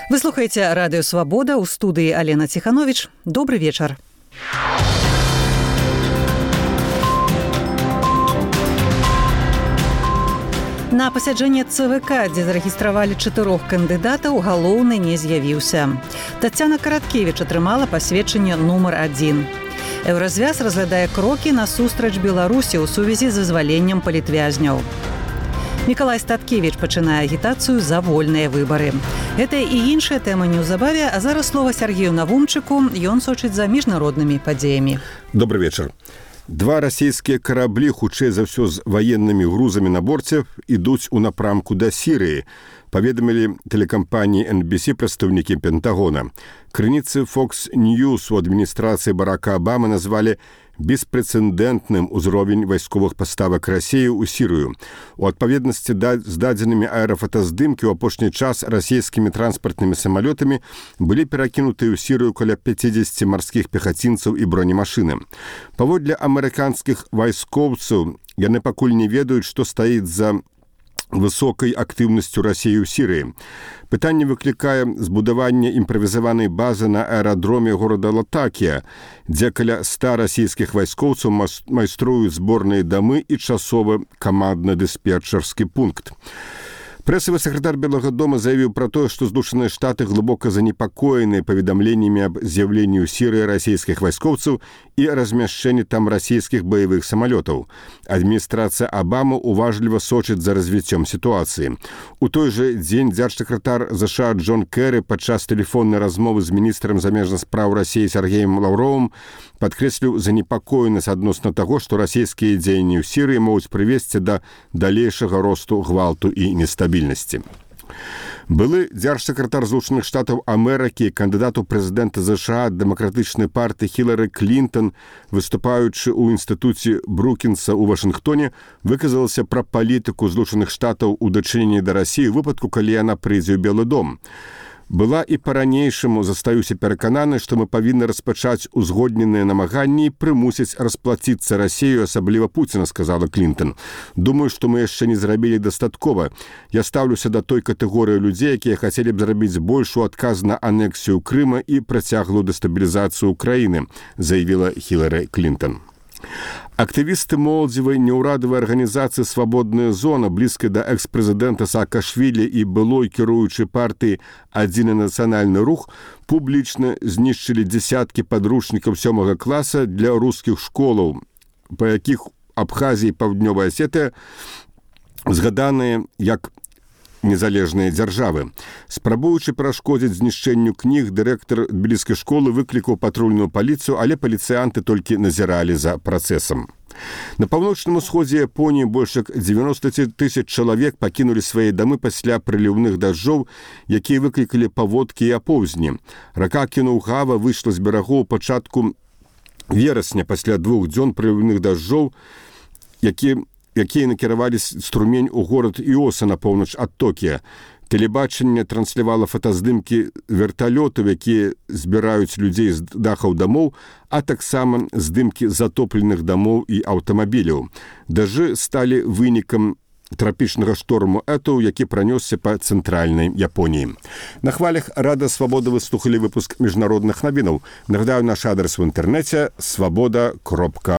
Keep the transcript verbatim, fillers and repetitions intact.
Вы слухаеце радыё Свабода, у студыі Алена Ціхановіч. Добры вечар. На пасяджэнне ЦВК, дзе зарэгістравалі чатырох кандыдатаў, галоўны не з'явіўся. Тацяна Караткевіч атрымала пасведчанне нумар адзін. Еўразвяз разглядае крокі насустрач Беларусі ў сувязі з вызваленнем палітвязняў. Мікалай Статкевіч пачынае агітацыю за вольныя выбары. Гэта і іншыя тэмы неўзабаве, а зараз слова Сергею Навумчыку, ён сочыць за міжнароднымі падзеямі. Добры вечар. Два расійскія караблі, хутчэй за ўсё з ваеннымі грузамі на борце, ідуць у напрамку да Сірыі, паведамілі тэлекампаніі эн би си прадстаўнікі Пентагона. Крыніцы Fox News у адміністрацыі Барака Абамы назвалі беспрэцэдэнтным узровень вайсковых паставак Расіі ў Сірыю. У адпаведнасці з дадзенымі аэрафотаздымкі ў апошні час расійскімі транспартнымі самалётамі былі перакінутыя ў Сірыю каля пяцідзесяці марскіх пехацінцаў і бронемашыны. Паводле амерыканскіх вайскоўцаў, яны пакуль не ведаюць, што стаіць за высокай актыўнасцю Расіі ў Сірыі. Пытанне выклікае збудаванне імправізаванай базы на аэрадроме горада Латакія, дзе каля ста расійскіх вайскоўцаў майструюць зборныя дамы і часовы камандна-дыспетчарскі пункт. Прэсавы сакратар Белага дома заявіў пра тое, што Злучаныя Штаты глыбока занепакоеныя паведамленнямі аб з'яўленні ў Сірыі расійскіх вайскоўцаў і размяшчэнні там расійскіх баявых самалётаў. Адміністрацыя Абамы уважліва сочыць за развіццём сітуацыі. У той жа дзень дзяржсакратар ЗША Джон Кэры падчас тэлефоннай размовы з міністрам замежных спраў Расіі Сергеем Лаўровым падкрэсліў занепакоенасць адносна таго, што расійскія дзеянні ў Сірыі могуць прывесці да далейшага росту гвалту і нестабільнасці. Былы дзяржсакратар Злучаных Штатаў Амерыкі, кандыдат у прэзідэнта ЗША дэмакратычнай партыі Хілары Клінтон, выступаючы ў інстытуце Брукінса ў Вашынгтоне, выказалася пра палітыку Злучаных Штатаў у дачыненні да Расіі ў выпадку, калі яна прыйдзе ў Белы дом. Была і па-ранейшаму застаюся перакананы, што мы павінны распачаць узгодненыя намаганні і прымусіць расплаціцца Расію, асабліва Пуціна, сказала Клінтон. Думаю, што мы яшчэ не зрабілі дастаткова. Я стаўлюся да той катэгорыі людзей, якія хацелі б зрабіць больш у адказ на анексію Крыма і працяглую дэстабілізацыю краіны, заявіла Хілары Клінтон. Актывісты моладзевай неўрадавай арганізацыі «Свабодная зона», блізкай да экс-прэзідэнта Саакашвілі і былой кіруючай партыі «Адзіны нацыянальны рух», публічна знішчылі дзесяткі падручнікаў сёмага класа для рускіх школаў, па якіх Абхазія і Паўднёвая Асетыя згаданыя як незалежныя дзяржавы. Спрабуючы перашкодзіць знішчэнню кніг, дырэктар тбіліскай школы выклікаў патрульную паліцыю, але паліцыянты толькі назіралі за працэсам. На паўночным усходзе Японіі больш як дзевяноста тысяч чалавек пакінулі свае дамы пасля прыліўных дажджоў, якія выклікалі паводкі і апоўзні. Рака Кінугава выйшла з берагоў пачатку верасня пасля двух дзён прыліўных дажджоў, якія якія накіравалі струмень у горад Іоса на поўнач ад Токія. Тэлебачанне транслявала фотаздымкі верталётаў, якія збіраюць людзей з дахаў дамоў, а таксама здымкі затопленых дамоў і аўтамабіляў. Дажджы сталі вынікам трапічнага шторму Этоў, які пранёсся па цэнтральнай Японіі. На хвалях Рада Свабода вы слухалі выпуск міжнародных навінаў. Нагадаю, наш адрес в інтэрнэце свабода кропка